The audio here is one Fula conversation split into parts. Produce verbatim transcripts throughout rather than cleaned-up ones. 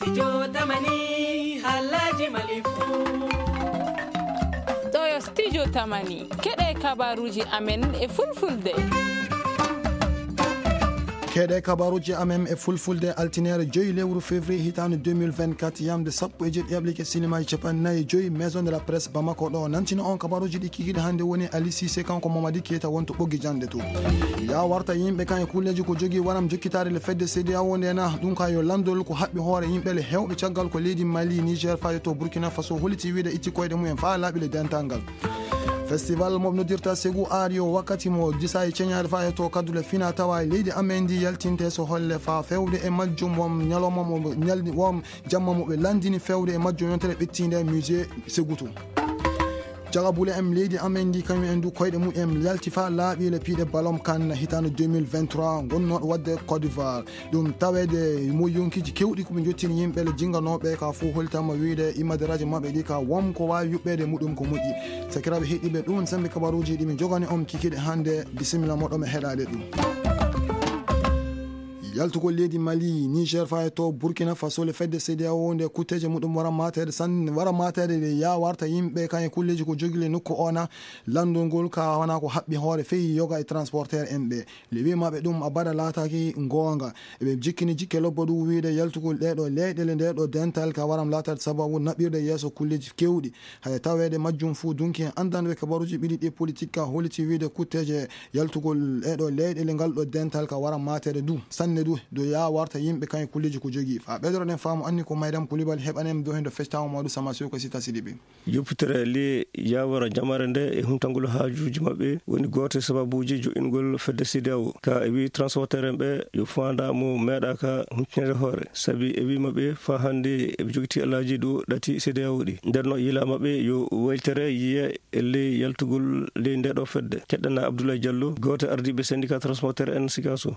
Studio Tamani, halaji malifu. Ɗo yo Studio Tamani, keɗe kabaruji amen e fulfulde. Keɗe kabaruji amen e fulfulde, altinere joyi lewru février hitande deux mille vingt-quatre, yamde sappo e jeɗɗi ablike sinima e capanɗe nayi e joyi, Maison de la Presse Bamako ɗo nantino on kabaruji ɗi kikiɗe hannde woni Ali Cissé kanko Mamadi Keita wonto ɓoggi jande to. Ya warta yimɓe kan e kulleji ko jogii waram jokkitaare le fedde C D A O nde na ɗum ka yo landol ko haɓɓi hoore yimɓe le hewɓe caggal ko leydi Mali, Niger, fayo to Burkina Faso holiti wiide itti koyɗe mumen faa laaɓi le dental ngal. Festival mo noddirta Segu Art yo wakkati mo disa e ceñaade faa e to kaddule fina tawa e leydi amen ndi yaltinte so holle faa fewde e majjum won ñalawma mo ñaldi won jamma mo ɓe landini fewde e majjum yontere ɓettiinde e musée Segu to. Jagabule en leydi amen ndi kañum en du koyɗe mumen yalti faa laaɓi le piiɗe balom kan hitande deux mille vingt-trois gonnooɗo wadde Côte d'Ivoire. Ɗum taweede mo yonkiiji keewɗi ko ɓe njottini yimɓe le jinnganooɓe ka fof holtama wiyde immade radio maɓɓe ɗi ka won ko waawi yuɓɓeede muɗum ko moƴƴi. Sakiraaɓe heɗiiɓe ɗum sembe kabaruuji ɗi min jogani on kikiiɗe hannde. Bisimilla moɗo mi heɗaade ɗum. Yaltugol leydi Mali, Niger faa e to Burkina Faso le fedde C D A O nde kutteeje muɗum wara mateede san wara mateede nde ya warta yimɓe kan e kulleeji ko jogile nokku ona lanndol ngol ka wana ko haɓɓi hoore feyi yoga e transporteur en ɓe. Le wi'amaaɓe ɗum abada laataaki ngoonga. Eɓe jikkini jikke lobbo ɗum wiyde yaltugol ɗeeɗo leyɗele ndeeɗo dental ka waram laataade sababu naɓirde yeeso kulleeji keewɗi. Haya taweede majjum fuu dunki en anndanɓe kabaruuji ɓiɗi ɗi politique ka holiti wiyde kutteeje yaltugol ɗeeɗo leyɗele ngal ɗo dental ka waram mateede du sanne du do ya warta yimɓe kan e kulleeji ko jogii. Faa ɓeydoɗen faamu anni ko Maydam Kulibal heɓanen do hendo fectawo mawɗo Sama Soko Sita Sidibe. Yoppitere le yawara jamare nde e huntangol haajuuji maɓɓe woni gooto e sababuuji jo'ingol fedde C D A O. Ka e wi transporteur en ɓe yo faanda mo meeɗaaka huntinede hoore. Sabi e wi maɓɓe faa hannde eɓe jogiti alaaji ɗo ɗati C D A O ɗi. Nder no yila maɓɓe yo waylitere yiye e ley yaltugol ley nde ɗo fedde. Keɗɗana Abdoulaye Diallo, gooto e ardiiɓe syndicat transporteur en Sikaso.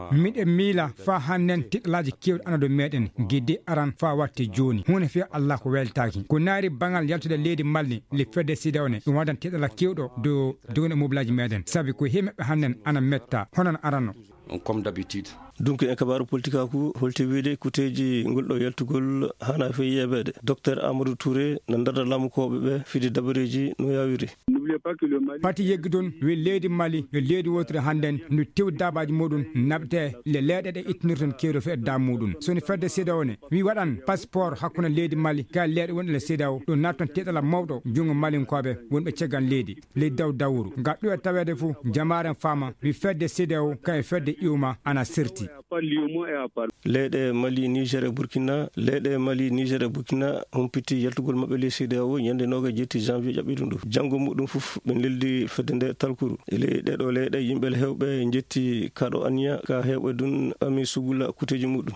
Miɗen miila faa hannden tiɗalaaji keewɗi ana dow meeɗen, gidde aran faa watte jooni. Huunde fii Allah ko weltaaki. Ko naari baŋal yaltude leydi Mali, le fedde C D A O ne, ɗum waɗan tiɗala keewɗo dow dogonde mobilaaji meeɗen. Sabi ko hee meɓɓe hannden ana metta, hono no arano. Comme d'habitude. Donc, en kabaaru politikaaku, holti wiide kuteeji ngol ɗo yaltugol hana fii yeebeede. Docteur Amadou Touré na darda laamukooɓe ɓe fidi dabareeji no yaawiri. Pati yeggidon wi leydi Mali yo leydi wotiri hannden ndu tewi daabaaji muɗum naɓte le leeɗe ɗe ittinirton kewdo fe edda muɗum. Soni fedde C D A O ne wi waɗan passeport hakkunde leydi Mali ka leeɗe wonɗe le C D A O ɗo natton teɗala mawɗo junngo malinkooɓe wonɓe ceggan leydi ley daw dawuru. Nga ɗuwe taweede fof jamaaren faama wi fedde C D A O ka e fedde iwma ana serti. Leyɗe Mali, Niger e Burkina. Leyɗe Mali, Niger e Burkina humpiti yaltugol maɓɓe ley C D A O ñande noogaas e jeeɗiɗi janvier ƴaɓɓiɗo ndu. Janngo muɗum fof ɓe neldi fedde nde talkuru. E ley ɗeɗo leyɗe yimɓe hewɓe njetti kaɗo anniya ka hewɓe dun ɓami sugula kuteji muɗum.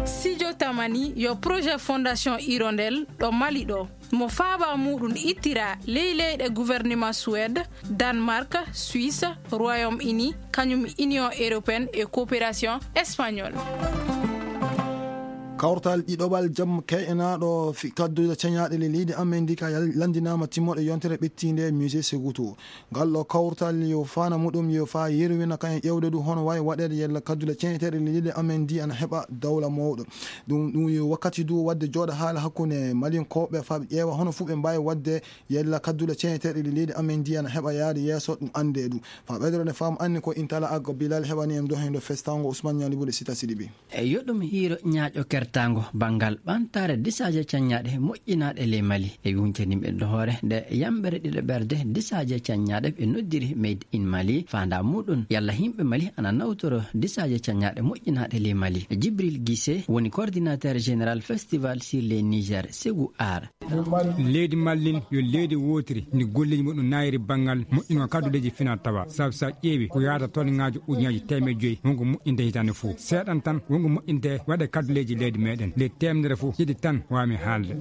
Sijo Tamani yo projet Fondation Hirondelle ɗo Mali ɗo. Mo faaba muɗum ittira ley leyɗe gouvernement Suède, Danemark, Suisse, Royaume-Uni, kañum Union Européenne e Coopération Espagnole. Kawtal ɗiɗoɓal jam kay'enaaɗo fi kaddude ceñaaɗe le leydi amen ndi ka yal- lanndinaama timmoɗo yontere ɓettiinde e musée Segutu. Ngal ɗo kawtal yo faana muɗum yo faa yerwina kañum ƴeewde du hono wayi waɗeede yalla kaddule ceñeteeɗe leydi amen ndi ana heɓa dawla mawɗo. Ɗum ɗum yo wakkati du waɗde jooɗa haala hakkunde malinkooɓe faa ɓe ƴeewa hono fuu ɓe mbaawi waɗde yalla kaddule ceñeteeɗe leydi amen ndi ana heɓa yaade yeeso ɗum anndee du. Faa ɓeydorode faamu anni ko intala aggo bilal heɓani en dohendo festango Ousmane Ñalibude Sita Sidibi. E yo ɗum hiiro ñaaƴo kertaango banngal ɓantaare disaaje caññaaɗe moƴƴinaaɗe ley Mali e yuñcaniiɓe ɗo hoore nde yamɓere ɗiɗo ɓerde disaaje caññaaɗe ɓe noddiri Made in Mali faandaa muɗum yalla yimɓe Mali ana nawtoro disaaje caññaaɗe moƴƴinaaɗe ley Mali. Jibril Gise woni coordinateur général Festival sur les Niger Segu Art. Leydi Mali yo leydi wootiri ndi golleeji muɗum naayiri banngal moƴƴingo kadduleeji fina tawa sabu sa ƴeewi ko yaata toon ŋaaji ujunnaaji teemeɗe joyi wonko moƴƴinte hitaande fof seeɗan tan wonko moƴƴinte waɗe kadduleeji leydi. Meɗen le temedere fof hiɗi tan wami haalde.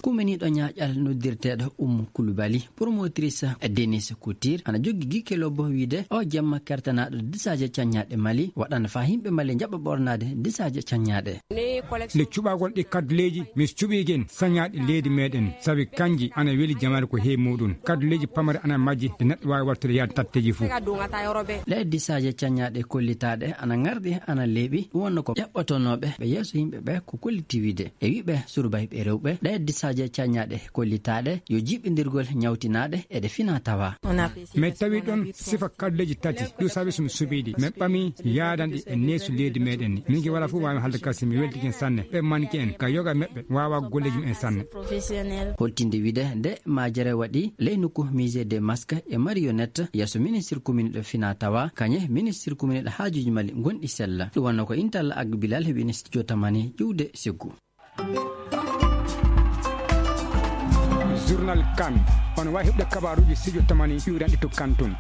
Kumeniiɗo ñaaƴal noddirteeɗo Ummu Kulubali, promotrice Denis Couture, ana joggi gikke lobbo wiide o jamma kertanaaɗo disaaje caññaaɗe Mali waɗana faa yimɓe Mali njaɓa ɓornaade disaaje caññaaɗe. Nde cuɓagol ɗi kadduleeji, mi cuɓigen sañaaɗi leydi meɗen, sabi kanji ana weli jamaare ko heewi muɗum. Kadduleeji pamare ana majji, ɗi neɗɗo waawi wattude yaade tatteeji fof. Ɗe disaaje caññaaɗe kollitaaɗe ana ŋarɗi, ana leeɓi, ɗum wonno ko ƴaɓɓotonooɓe ɓe yeeso yimɓe ɓe ko kolliti wiide. E wiɓe surbayɓe rewɓe, ɗe disaaje caññaaɗe kollitaaɗe yo jiɓɓindirgol ñawtinaaɗe eɗe fina tawa. Mi tawi ɗon sifa kalleeji tati, ɗum sabi so mi suɓiiɗi. Min ɓami yaadanɗi e neesu leydi meɗen ni. Min ki wala fof waawi haalde kasi, mi weltike sanne. Ɓe manki en, ka yoga meɓɓe, waawa golleeji mum en sanne. Holtinde wiide nde majere waɗi ley nokku Musée des Masques et Marionnettes, yeeso ministre commune ɗo fina tawa, kañe ministre commune ɗo haajuuji Mali gonɗi sella. Ɗum wonno ko Intalla Agbilal heɓi studio Tamani ƴuwde siggu. Journal Kan. On waawi heɓde kabaaruuji studio Tamani ƴuwranɗi to Kan tun.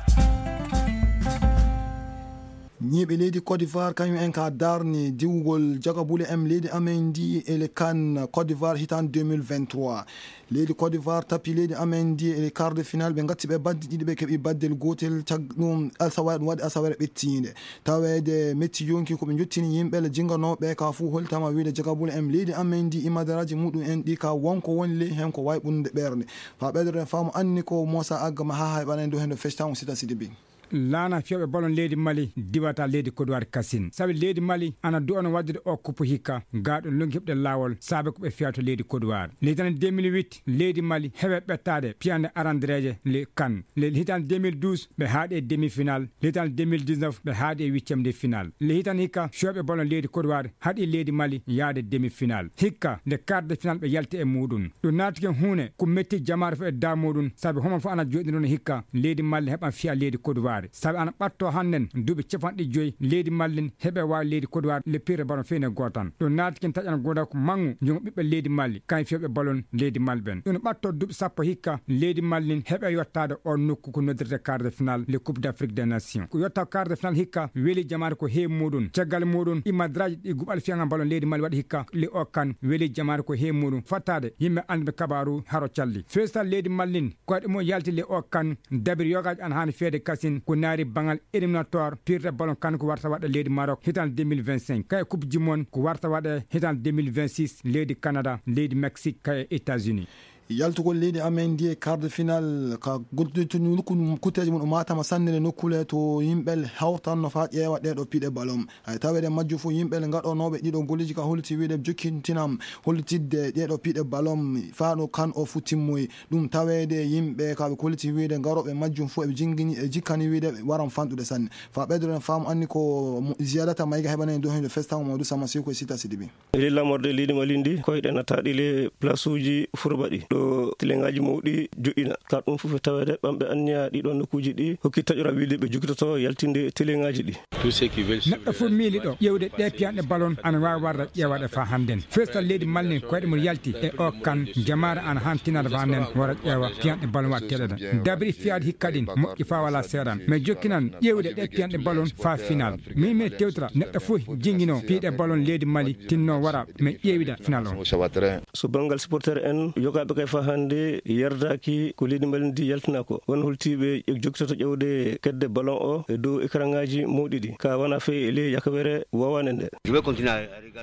Ñiiɓe leydi Côte d'Ivoire, kañum en ka darni diwgol jagabule em leydi amen ndi e le Kan Côte d'Ivoire hitaan deux mille vingt-trois. Leydi Côte d'Ivoire tapi leydi amen ndi e quart de finale, ɓe gatti ɓe badde ɗiɗi, ɓe keɓi baddel gotel, cag ɗum asawaire, ɗum waɗi asawaire ɓettiinde. Taweede metti yonki ko ɓe jottini yimɓe le jinganooɓe ka fuu holtama wiide jagabule em leydi amen ndi imadaraaji muɗum en ɗi ka wonko woni ley hen ko wawi ɓurnude ɓernde. Fa ɓeydore faamu anni ko Moussa Agga ma ha hayɓana en dow hen ɗo festan o sita sidi bi. Laana fiyooɓe ballon leydi Mali diwata leydi Kodowari kasin. Sabi leydi Mali ana du'ano waddude o kuppu hikka, gaa ɗum lonki heɓde laawol saabe ko ɓe fiyato leydi Kodowari. Leydi tan deux mille huit, leydi Mali heɓe ɓettaade piyande arandereeje le Kan. Le hitan deux mille douze, ɓe haaɗi e demi-finale. Le hitan deux mille dix-neuf, ɓe haaɗi e huitième de finale. Le hitan hikka fiyooɓe ballon leydi Kodowari haɗi leydi Mali yaade demi-finale. Hikka nde quart de finale ɓe yalti e muɗum. Ɗum naati ken huune ko metti jamaare fof e daa muɗum, sabi homo fof ana joɗinoo hikka leydi Mali heɓan fiya leydi Kodowari. Sabi ana ɓatto hannden duuɓi capanɗe joyi leydi Mali heɓe waawi leydi Kodowari le pire ballon feyne gootan. Ɗum naati ken taƴan gooda ko mangu jungo ɓiɓɓe leydi Mali, kañ fiyooɓe ballon leydi Mali ɓen. Ɗum ɓatto duuɓi sappo hikka leydi Mali heɓe yottaade o nokku ko noddirte quart de finale le Coupe d'Afrique des Nations. Ko yotta quart de finale hikka weli jamaare ko heewi muɗum. Caggal muɗum imadraji ɗi guɓal fiyaŋa ballon leydi Mali waɗi hikka le o Kan weli jamaare ko heewi muɗum. Fattaade yimɓe annduɓe kabaaru haro calli. Festal leydi Mali koyɗe mum yalti le o Kan dabiri yogaji an haani feede kasin ko naari bangal éliminatoire pirde ballon Kan ko warta waɗa leydi Maroc hitan deux mille vingt-cinq. Kay coupe du monde ko warta waɗa hitan deux mille vingt-six leydi Canada, leydi Mexique, kay États-Unis. Yaltugol leydi amen ndi e quart de finale ka guddituni kutteeji mum o matama sanne le nokkule to yimɓe hawtanno fa ƴeewa ɗeɗo piɗe ballon. Hay taweede majju fof yimɓe gaɗonooɓe ɗiɗo golleeji ka holliti wiide jokkintinam hollitidde ɗeɗo piɗe ballon faa ɗo Kan o fof timmoyi. Ɗum taweede yimɓe ka ɓe kolliti wiide garooɓe majjum fof eɓe jingini e jikkani wiide ɓe waran fanɗude sanne. Fa ɓeydoɗen faamu anni ko mo-, ziyadata mayga heɓanani dow hende festan Mamadou Sama Siko e Sita Sidibi. Ley laamorde leydi Mali ndi, koyɗe nataaɗi le place uji furbaɗi ɗo tileŋaaji mawɗi joɗɗina. Ka ɗum fof e taweede ɓamɓe anniya ɗiɗo nokkuuji ɗi hokki taƴora wiide ɓe jogitoto yaltinde tileŋaaji ɗi. Neɗɗo fof miili ɗo ƴeewde ɗe piyanɗe ballon ana waawi warde ƴeewaɗe faa hannden. Festal leydi Mali ndi koyɗe mum yalti e o Kan, jamaare ana haan tinata faa hannden wara ƴeewa piyanɗe ballon waɗteeɗe ɗen. Dabiri fiyaade hikka ɗin moƴƴi faa wala seeɗan. Mais jokkinan ƴeewde ɗe piyanɗe ballon faa final. Min mi tewtira neɗɗo fof jingino piiɗe ballon leydi Mali tinno wara mi ƴeewida final on. So banngal supporter en, yogaaɓe kay faa hannde yardaaki ko leydi Mali ndi yaltina ko. Won holtiiɓe e jokkitoto ƴeewde kedde ballon o e dow écran ŋaaji mawɗi ɗi. Ka wona fey e ley yakawere wawaande nde.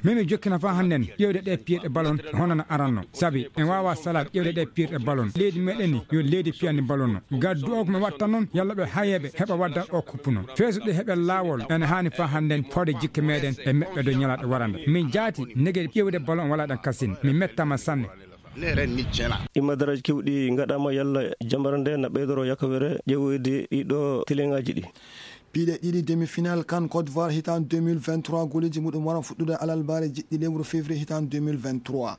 Min mi jokkina faa hannden ƴeewde ɗe piiɗe ballon hono no aranno. Sabi en waawa salaade ƴeewde ɗe piirɗe ballon. Leydi meɗen ni yo leydi piyani ballon no. Gaddu o ko mi watta noon, yalla ɓe hayeeɓe heɓa wadda o kuppu noon. Feesuɗe heɓe laawol, ene haani faa hannden fawde jikke meɗen e meɓɓe dow ñalaaɗe warande. Min jaati nege ƴeewde ballon wala ɗan kasin. Mi mettama sanne. Imadaraaji kewɗi ngaɗaama yalla jambara nde na ɓeydoro yakawere ƴeewoyde ɗiɗo teleŋaaji ɗi. Piiɗe ɗiɗi demi-finale Kan Côte d'Ivoire hitaan deux mille vingt-trois, golleeji muɗum waran fuɗɗude alarbaare jiɗɗi lewru février hitaan deux mille vingt-trois.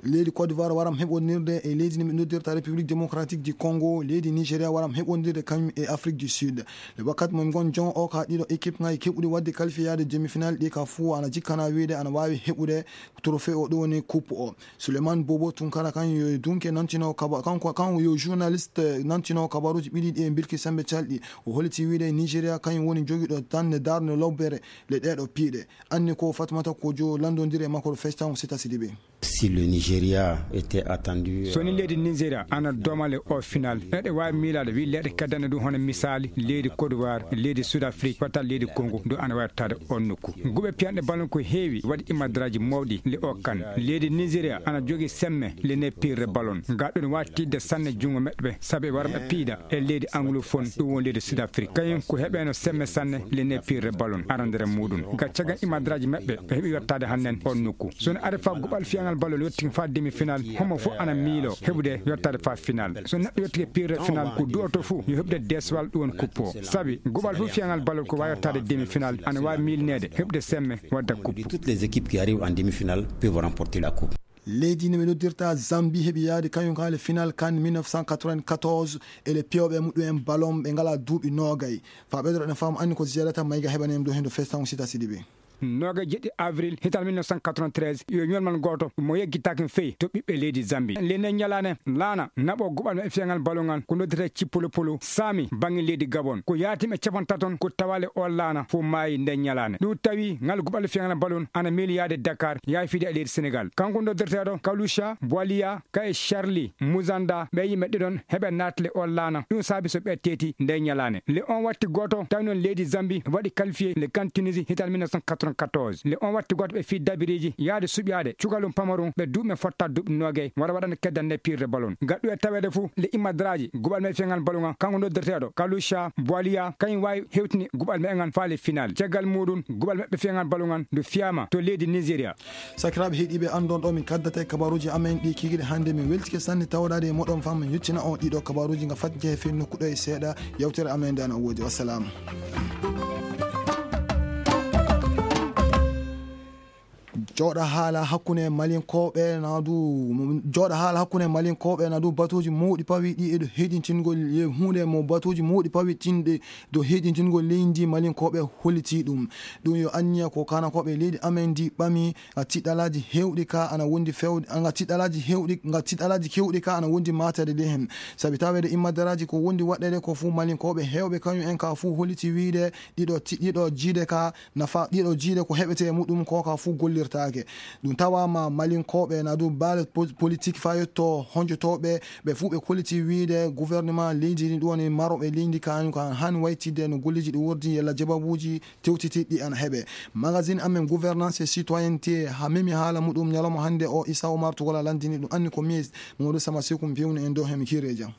Leydi Côte d'Ivoire waram heɓondirde e leydi ndi ɓe noddirta République Démocratique du Congo, leydi Nigeria waram heɓondirde kañum e Afrique du Sud. Le wakkati mo ngon jon o ka ɗiɗo équipe ngaji keɓuɗi wadde qualifié yaade demi-finale ɗi ka fuu ana jikkana wiide ana waawi heɓude trophée o ɗo woni coupe o. Souleymane Bobo Tunkara kan yo dunke nantino kaba kanko kan yo journaliste nantino kabaruji ɓiɗi ɗi e bilki sembe calɗi. O holiti wiide Nigeria kañum woni jogiɗo tan darde lobbere le ɗeɗo piiɗe. Anni ko Fatmata Kojo landondiri e makko ɗo Festan Sita Sidibe. Si le Nigeria était attendu, so ni euh, leydi Nigeria ana domale o final, eɗe waawi miilaade wi leyɗe keddane ɗum hono misaali leydi Côte d'Ivoire, leydi Sud Afrique, wata leydi Congo ɗum ana wattaade on nokku. Guɓe piyanɗe ballon ko heewi waɗi imadraji mawɗi le o kan. Leydi Nigeria ana jogi semme le ne pirre ballon. Ga ɗum wattidde sanne jungo meɗɓe sabe warɓe piida e leydi anglophone ɗum won leydi Sud Afrique. Kañum ko heɓeno semme sanne le ne pirre ballon arandere muɗum. Ga cagan imadraji meɗɓe ɓe heɓi wattade hannen on nokku. So no ari fa guɓal fiyaŋal ballon yettin fa demi final, homo fof ana miilo heɓude yottade fa final. So neɗɗo yottike pirre final ko du'oto fof yo heɓude deswal ɗum won kuppo. Sabi guɓal fof fiyaŋal ballon ko wawi yottade demi final ana wawi milnede heɓude semme wadda kuppo. Toutes les équipes qui arrivent en demi-finale peuvent remporter la coupe. Leydi ndi ɓe noddirta Zambie heɓi yaade kañum ka le final kan mille neuf cent quatre-vingt-quatorze e le piyooɓe muɗum en ballon ɓe ngala duuɓi noogay. Fa ɓeydoro ɗen faamu anni ko ziyadata mayga heɓani en ɗo hendo festan sita sidiɓe. Noogay jeɗɗi avril hital mille neuf cent quatre-vingt-treize yo ñolmal gooto mo yeggitaaki feyi to ɓiɓɓe leydi Zambie. Le nden ñalaane laana naɓo guɓal maɓɓe fiyaŋal ballon ngal ko noddete cippolopolo saami baŋŋe leydi Gabon. Ko yaati ɓe capantaton ko tawale o laana fof maayi nden ñalaane. Ɗum tawi ngal guɓal fiyaŋal ballon ana meeli yaade Dakar yaafide e leydi Sénégal. Kanko noddirteeɗo Kalusha Bwaliya ka e Charlie Muzanda ɓe yimɓe ɗiɗon heɓe naatle o laana. Ɗum saabi so ɓe teeti nden ñalaane. Le on watti gooto tawi noon leydi Zambie waɗi qualifié le kan Tunisie hital mille neuf cent quatre-vingt-quatorze. Le on watti gooto ɓe fii dabiriji yaade suɓyaade cukalum pamarum ɓe duuɓe fotta duuɓi noogay wara waɗana keddan ne pirde ballon. Gaɗɗu e taweede fof le imadraji guɓal me fiyaŋal ballon ngal kanko noddirteeɗo Kalusha Bwaliya kañum waawi hewtini guɓal me ngal faale final. Caggal muɗum guɓal maɓɓe fiyaŋal ballon ngal ndu fiyama to leydi Nigeria. Sakiraaɓe heɗiiɓe anndon ɗo min kaddata e kabaruuji amen ɗi kikiɗe hannde min weltike sanne tawɗaade e moɗon fam min yettina on ɗiɗo kabaruuji nga fat jehe fen nokkuɗo e seeɗa. Yewtere amen nde ana woodi. Wassalamu. Jooɗa haala hakkunde malinkooɓe na du jooɗa haala hakkunde malinkooɓe na du batuuji mawɗi pawi ɗi e ɗo heɗintingol e huunde mo batuuji mawɗi pawi tinde do heɗintingol leydi malinkooɓe holiti ɗum. Ɗum yo anniya ko kanakooɓe leydi amen ndi ɓami. Nga tiɗɗalaaji heewɗi ka ana wondi fewde nga tiɗɗalaaji heewɗi nga tiɗɗalaaji kewɗi ka ana wondi matade ley hen. Sabi taweede immadaraaji ko wondi waɗɗeede ko fuu malinkooɓe heewɓe kañum en ka fuu holiti wiide ɗiɗo ti- ɗiɗo jiide ka nafa ɗiɗo jiide ko heɓete e muɗum ko ka fuu gollirtaake. Ɗum tawama malinkooɓe na du baale po- politique fa yetto honjotooɓe ɓe fuu ɓe koliti wiide gouvernement leydi ndi ɗum woni maroɓe leydi kañum ka hani waytidde no golleji ɗi wordi yalla jababuuji tewtitiɗɗi ana heɓe. Magazine amen gouvernance et citoyenneté ha memi haala muɗum ñalawma hannde o Issa Omar Tugola landini ɗum anni ko mi Mamadou Sama Sekum pewni en dow hemi kire jam.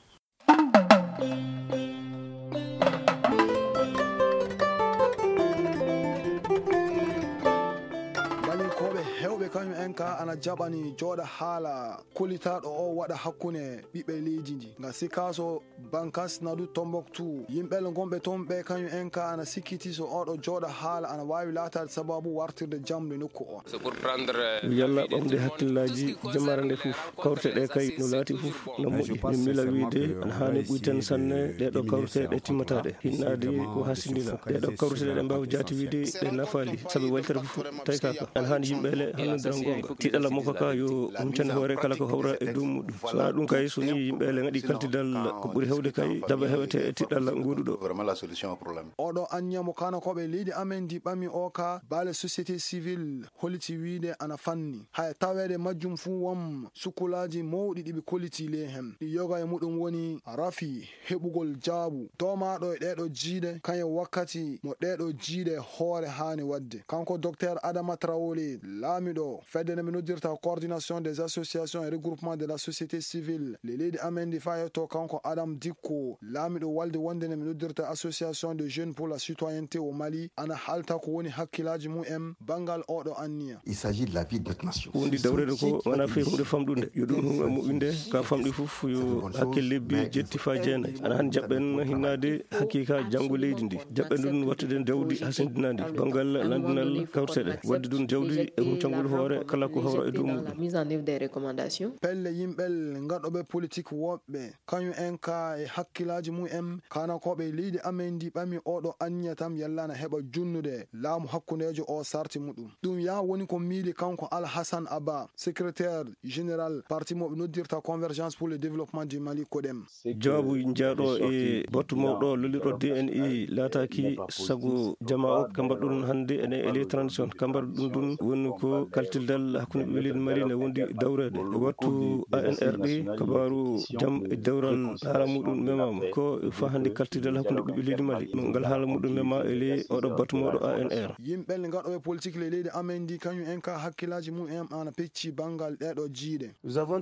Balinkooɓe hewɓe kañum en ka ana jaɓani jooɗa haala kolitaaɗo o waɗa hakkunde ɓiɓɓe leydi ndi nga sikaso Bankas nadu Tombouctou yimɓel gonɓe toon ɓe kañum en ka ana sikkiti so oɗo jooɗa haala ana waawi laataade sababu wartirde jamɗe nokku o. Yalla ɓamde hakkillaaji jamaare nde fof kawrte ɗe kay no laati fof no moƴƴi min mila wiyde ana haani ɓuyten sanne ɗeɗo kawrte ɗe timmataɗe hinnaade ko hasindina ɗeɗo kawrte ɗe mbaawa jaati wiyde ɗe nafaali sabi waytere fof taykaka ana haani yimɓe le hannodira gonga tiɗala makko ka yo huncande hoore kala ko hawra e dow muɗum so wona ɗum kay so ni yimɓe le ngaɗi kaltidal ko ɓuri hewde kay daba hewete e tiɗalla ngoduɗo. Oɗo anniya mo kanakoɓe leydi amen ndi ɓami o ka baale société civile holiti wiide ana fanni haya taweede majjum fuu won sukkulaaji mawɗi ɗi ɓe koliti ley hen ɗi yoga e muɗum woni rafi heɓugol jaabu doomaaɗo e ɗeeɗo jiiɗe kañum wakkati mo ɗeeɗo jiiɗe hoore haani waɗde kanko docteur Adama Traoré laamiɗo fedde nde ɓe noddirta coordination des associations et regroupement de la société civile le leydi amen ndi fayetto kanko Adam Dikko laamiɗo walde wonde nde ɓe noddirta association de jeunes pour la citoyenneté au Mali ana halta ko woni hakkilaaji mum en banngal oɗo anniya. Il s'agit de la vie de notre nation. Ko wondi dawrede ko wona fii hunde famɗunde yo ɗum hum e moƴƴinde ka famɗi fof yo hakkille lebbi jetti fa jeenayi ana han jaɓɓen hinnaade haqiqa janngo leydi ndi jaɓɓen ɗum wattude jawdi hasindinandi banngal landinal kawteɗe wadde ɗum jawdi e huncangol hoore kala ko Horo e dow muɗum. Mise en œuvre des recommandations. Pelle yimɓel ngaɗoɓe politik woɓɓe, kañum en ka e hakkilaaji mum en, kanakooɓe leydi amen ndi ɓami oɗo anniya tam yalla na heɓa junnude laamu hakkundeejo o sarti muɗum. Ɗum ya woni ko miili kanko Alhassane Abba, secrétaire général parti mo ɓe noddirta Convergence pour le développement du Mali, CODEM. Jawaabu jaaɗo e battu mawɗo lollirɗo D N I laataaki sago jama o ka mbaɗɗon hannde ene e les transition ka mbaɗɗon ɗum woni ko kaltidal hakkunde ɓe leydi Mali ne wondi dawreede e wattu A N R D. Kabaaru jam e dewral haala muɗum memaama ko fa hannde kaltidal hakkunde ɓiɓɓe leydi Mali ngal haala muɗum mema e ley oɗo battu mawɗo A N R. Yimɓe ngaɗoɓe politik le leydi amen ndi kañum en ka hakkilaaji mum en ana pecci banngal ɗeɗo jiiɗe.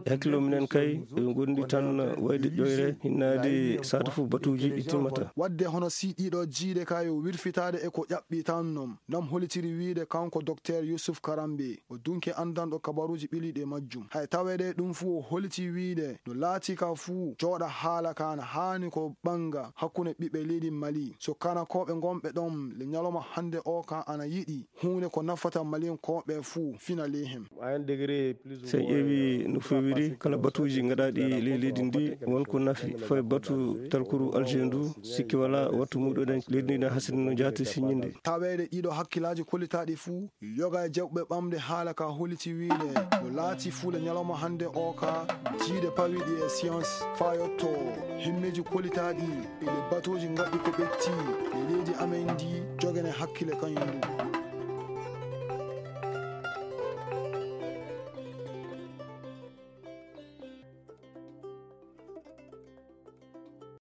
E hakkillo minen kay, ɓe ngondi tan wayde ƴoyre, hinnaade saatu fof batuuji ɗi timmata. Wadde hono si ɗiɗo jiiɗe ka yo wirfitaade e ko ƴaɓɓi tan non, nam holitiri wiide kanko Docteur Youssouf Karambe, o dunke anndanɗo kabaruuji ɓiliiɗi e majjum. Hay taweede ɗum fuu o holiti wiide no laati ka fuu jooɗa haala ka na haani ko ɓannga hakkunde ɓiɓɓe leydi Mali. So kanakooɓe ngonɓe ɗon le ñalawma hannde o ka ana yiɗi huunde ko nafata Maliyankooɓe fuu fina ley hen. So en ƴeewi no feewiri kala batuuji gaɗaaɗi ley leydi ndi won ko nafi fayi batu talkuru Alger ndu sikki wala wattu muɗuɗen leydi ndi na hasini no jaati siññinde. Taweede ɗiɗo hakkilaaji kollitaaɗi fuu yoga e jaɓɓuɓe ɓamde haala ka holiti wiide no laati fuu le ñalawma hannde o ka jiiɗe pawiɗi e science faa yotto himmeeji kollitaaɗi e le batuuji ngaɗɗi ko ɓetti e leydi amen ndi jogene hakkile kañum ndu.